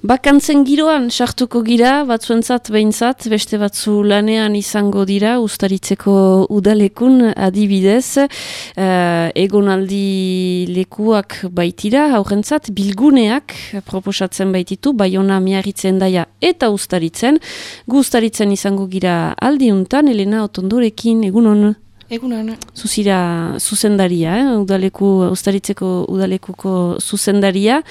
Bakantzen giroan sartuko gira, batzuentzat behintzat, beste batzu lanean izango dira, Uztaritzeko udalekun adibidez, egonaldi lekuak baitira, haurentzat, bilguneak proposatzen baititu, Baiona, Miarritzen, Daia eta Uztaritzen. Gu Uztaritzen izango gira aldiuntan, Elena Otondorekin, egunon. Egunon. Zuzira zuzendaria, Uztaritzeko udalekuko zuzendaria.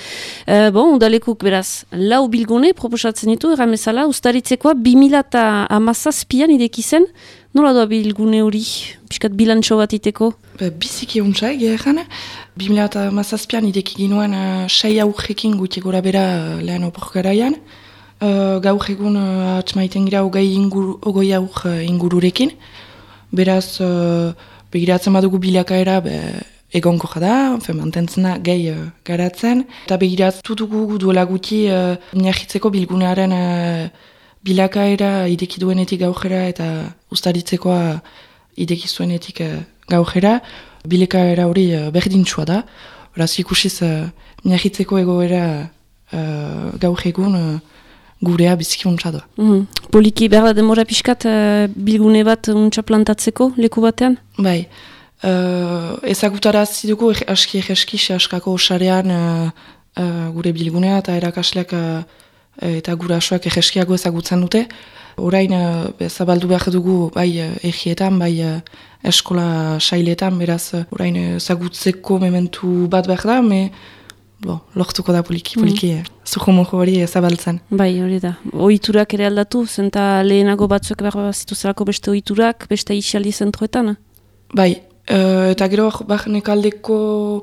Udalekuk beraz, lau bilgune proposatzen ditu, erramezala, Uztaritzekoa 2017an ideki zen, nola doa bilgune hori, piskat bilantxo bat iteko? Biziki untsa, egeran. 2017an ideki ginoen 6 aurrekin guti gora bera lehen oporgaraian. Gaur egun atmaiten gira ogoi aur ingururekin. Beraz, begiratzen badugu bilakaera egonko jada, mantentzen da gehi garatzen. Eta begiratzen dugu duela guti Miarritzeko bilgunearen bilakaera ideki duenetik gaujera eta Uztaritzekoa ideki zuenetik gaujera. Bilakaera hori berdintsua da. Beraz, ikusiz Miarritzeko egoera gaur egun gurea biziki untsa doa. Poliki behar da demora pixkat bilgune bat untsa plantatzeko leku batean? Bai. Ezagutara zidugu aski askako osarean gure bilgunea eta erakasleak eta gurasoak egeskiago ezagutzen dute. Orain zabaldu behar dugu bai egietan, bai eskola sailetan, beraz orain ezagutzeko mementu bat behar da, lortuko da poliki, zuhumoko hori zabaltzen. Bai, hori da. Ohiturak ere aldatu, zenta lehenago batzuek behar zituzelako beste ohiturak, beste isialdi zentroetan? Bai, eta gero nekaldeko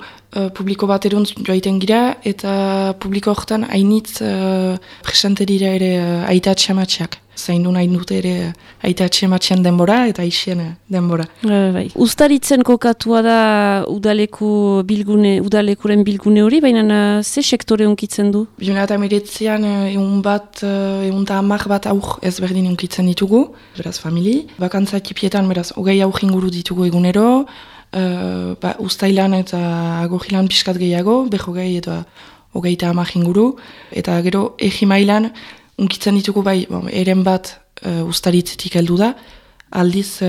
publiko bat eruntz joaiten gira, eta publiko horretan hainitz presente dira ere aita atxamatxeak. Zain du nahi dute ere aita atxamatxean denbora eta isien denbora. Bai. Uztaritzen kokatua da udalekuren bilgune hori, baina ze sektore unkitzen du? 2019an egun eta 10 bat aur ezberdin unkitzen ditugu, beraz famili. Bakantza ekipietan beraz hogei aur inguru ditugu egunero, uztailan eta agogilan pixkat gehiago, behogei eta hogeita 10 inguru, eta gero egi mailan unkitzen ditugu bai, eren bat Uztaritzetik heldu da, aldiz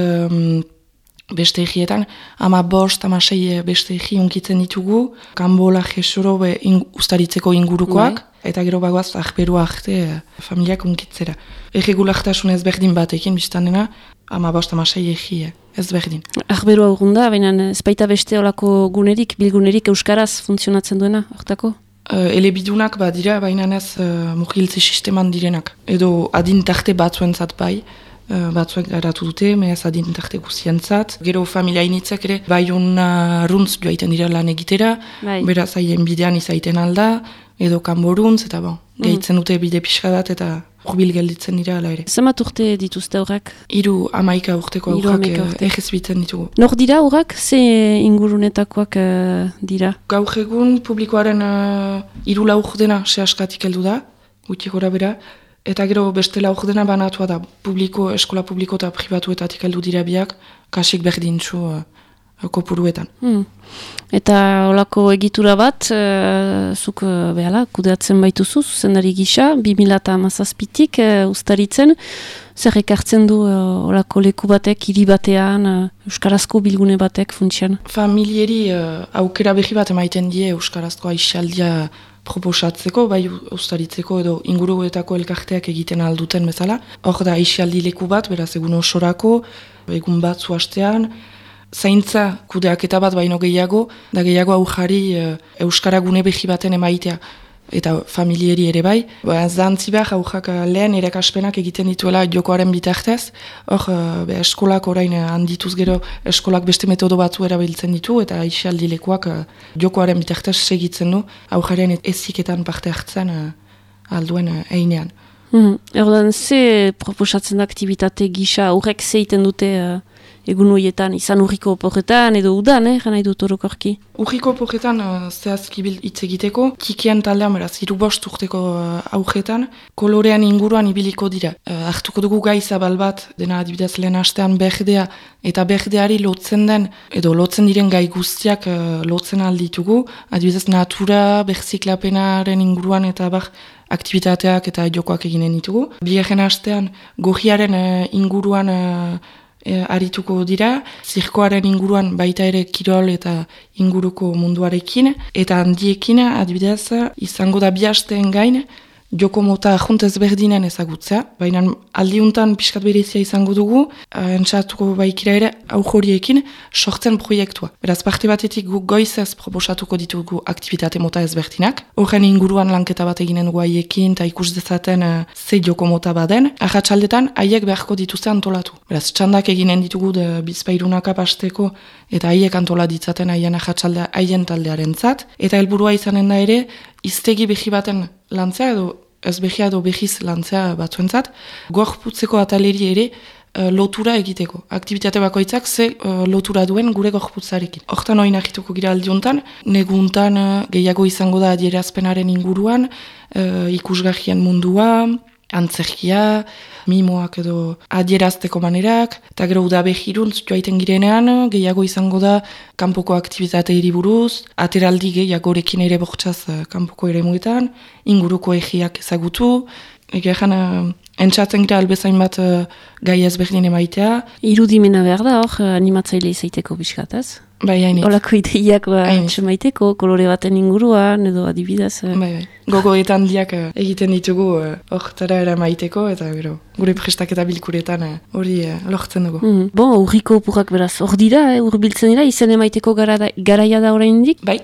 beste egietan, 15, 16 beste egi unkitzen ditugu, Kanbola, Jesoro, Uztaritzeko ingurukoak, eta gero bagoaz ahberua arte familiak unkitzera. Erregulaktasun ezberdin batekin, biztan dena, 15, 16 egi ezberdin. Ahberua urgunda, baina ez baita beste olako bilgunerik euskaraz funtzionatzen duena, hortako? Elebidunak dira, baina ez mugiltze sisteman direnak. Edo adintarte batzuentzat bai, batzuek garatu dute, mehaz adintarte guzientzat. Gero familia initzak ere, Baiona runtz joaiten dira lan egitera, beraz haien bidean izaiten alda, edo kanboruntz, eta gehitzen dute bide pixka bat, eta urbil gelditzen dira ala ere. Zemat urte dituzte horrak? 11 urteko aurrak egezbiten ditugu. Nor dira horrak? Ze ingurunetakoak dira? Gaur egun publikoaren 3 laur dena sehaskatik heldu da, guti gora bera, eta gero beste laur dena banatua da, eskola publiko eta pribatuetatik heldu dira biak, kasik berdintzu kopuruetan. Eta olako egitura bat, zuk kudeatzen baituzu, zuzendari gisa, 2017tik Uztaritzen, zer ekartzen du olako leku batek, hiri batean, euskarazko bilgune batek funtsian? Familieri aukera berri bat emaiten die euskarazko aisialdia proposatzeko, bai Uztaritzeko edo inguruetako elkarteak egiten alduten bezala. Hor da aisialdi leku bat, beraz egun osorako, egun bat zuhastean, zaintza kudeaketa bat baino gehiago, da gehiago aujari euskara gune behi baten emaitea eta familieri ere bai. Zantzi behar aujak lehen erakaspenak egiten dituela jokoaren bitartez, hor eskolak orain handituz gero eskolak beste metodo batzu erabiltzen ditu eta aisialdi lekuak jokoaren bitartez segitzen du aujaren eziketan parte hartzen alduen einean. Erdoan, ze proposatzen da aktivitate gisa aurrek zeiten dute egun horietan, izan urriko oporretan edo udan, gana idut orokorki? Urriko oporretan zehazki hitz egiteko, kikian taldean beraz, 3 urteko aurretan, kolorean inguruan ibiliko dira. Hartuko dugu gai zabal bat, dena adibidez lehen hastean berdea, eta berdeari lotzen den, edo lotzen diren gai guztiak lotzen alditugu, adibidez natura, berziklapenaren inguruan eta aktivitateak eta jokoak eginen ditugu. Bigarren astean gohiaren inguruan arituko dira, zirkoaren inguruan baita ere kirol eta inguruko munduarekin, eta handiekin adibidez izango da 2 asteen gain, joko mota juntez berdinen ezagutzea, baina aldiuntan pixkat berezia izango dugu, entzatuko baikira ere aujoriekin sortzen proiektua. Beraz, parte batetik guk goizez proposatuko ditugu aktivitate mota ezberdinak, horren inguruan lanketa bat eginen dugu haiekin eta ikus dezaten ze joko mota baden, arratsaldetan haiek beharko dituzte antolatu. Beraz, txandak eginen ditugu bizpairunaka pasteko eta haiek antola ditzaten haien arratsaldea haien taldearentzat, eta helburua izanen da ere, iztegi behi baten lantzea edo ez behia edo behiz lantzea batzuentzat, gorputzeko ataleri ere lotura egiteko. Aktivitate bakoitzak ze lotura duen gure gorputzarekin. Hortan hori nahituko gira aldiuntan, neguntan gehiago izango da adierazpenaren inguruan, ikusgarrien mundua, antzerkia, mimoak edo adierazteko manerak, eta gero udabehiruntz joaiten girenean, gehiago izango da kanpoko aktivitateiri buruz, ateraldi gehiagorekin ere bortxaz kanpoko ere muetan, inguruko egiak ezagutu, egeran entzatzen gira albezain bat gai ezberdin emaitea. Irudimena behar da hor, animatzaile izaiteko bizkataz? Bai, hainit. Olako ideiak maiteko, kolore baten inguruan, edo adibidez. Bai. Gogoetan diak egiten ditugu hortara eramaiteko, eta gero, gure prestaketa bilkuretan hori lortzen dugu. Bon, urriko opurrak beraz, hor dira, urbiltzen dira, izen emaiteko garaia da oraindik? Bai,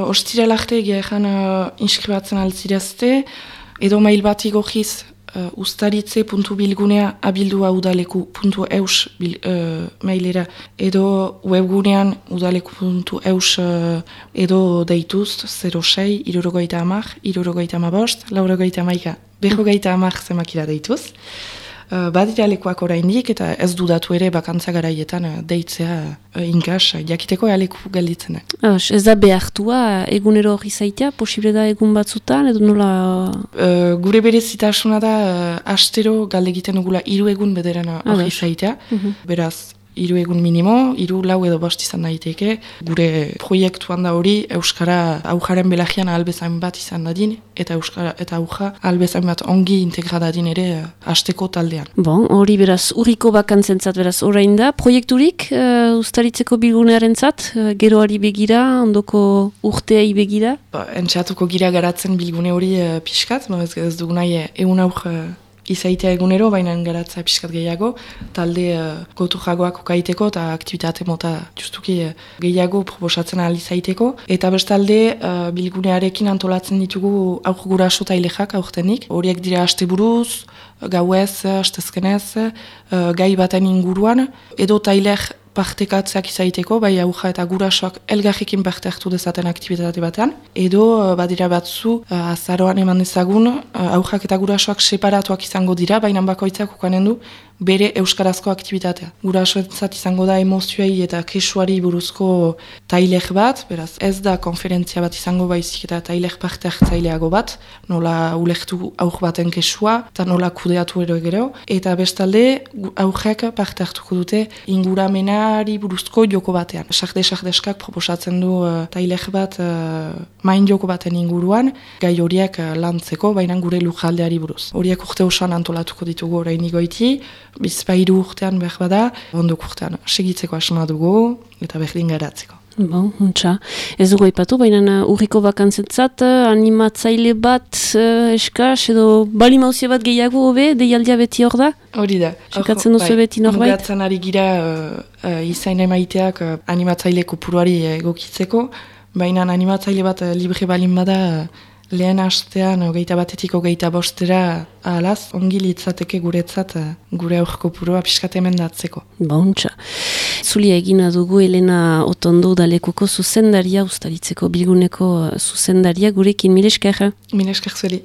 ostirala arte egean inskribatzen altzirazte, edo mail bat igogiz ustaritze.bilgunea abildua.udaleku.eus mailera, edo webgunean udaleku.eus edo deituz 06 60 65 45 berrogeita zemakira deituz. Badira lekuak oraindik eta ez dudatu ere bakantza garaietan deitzea inkas jakiteko leku gelditzen da. Ez da behartua egunero hori zaitea, posible da egun batzutan, edo nola... Gure berezitasuna da astero galde egiten dugula 3 egun bederan hori zaitea, beraz 3 egun minimo, 3, 4 edo 5 izan daiteke. Gure proiektuan da hori Euskara aujaren belagian albezain bat izan dadin, eta Euskara eta auja albezain bat ongi integradadin ere hasteko taldean. Bon, hori beraz, urriko bakantzentzat beraz orain da. Proiekturik ustaritzeko bilgunearentzat, geroari begira, ondoko urteai begira? Entxatuko gira garatzen bilgune hori pixkat, ez dugu nahi egun aur izaitea egunero, baina garatza pixkat gehiago, talde gotu jagoak okaiteko eta aktivitate mota justuki gehiago proposatzen ahal izaiteko. Eta bestalde bilgunearekin antolatzen ditugu aur guraso eta ilexak aurtenik. Horiek dira asteburuz, gauez, astezkenez, gai baten inguruan, edo tailer partekatzeak izaiteko, bai auja eta gurasoak elgarrekin parte hartu dezaten aktivitate batean, edo badira batzu azaroan eman dezagun, aujak eta gurasoak separatuak izango dira, baina bakoitzak ukanen du bere euskarazko aktivitatea. Gurasoentzat izango da emozioei eta kesuari buruzko tailer bat, beraz ez da konferentzia bat izango baizik eta tailer parte hartzaileago bat, nola ulertu aur baten kesua, eta nola kudeatu gero, eta bestalde aurrek parte hartuko dute inguramenari buruzko joko batean. Sarde-sardeskak proposatzen du tailer bat main joko baten inguruan, gai horiek lantzeko, baina gure lujaldeari buruz. Horiek urte osoan antolatuko ditugu orain goiti, bizpairu urtean behar bada, ondok urtean segitzeko asma dugu eta berdin garatzeko. Bon, untxa. Ez dugu aipatu, baina urriko bakantzentzat animatzaile bat eskas edo balimauzia bat gehiago hobe, deialdia beti hor da? Hori da. Sekatzen duzu beti norbait? Mugatzen ari gira izain emaiteak animatzaile kopuruari egokitzeko, baina animatzaile bat libre balin bada lehen hastean 21-25 ahalaz, ongi litzateke guretzat gure aurko puroa pixkat emendatzeko. Bauntza. Zulia egina dugu Elena Otondo udalekuko zuzendaria, ustaritzeko bilguneko zuzendaria gurekin, mile esker. Mile esker zueli.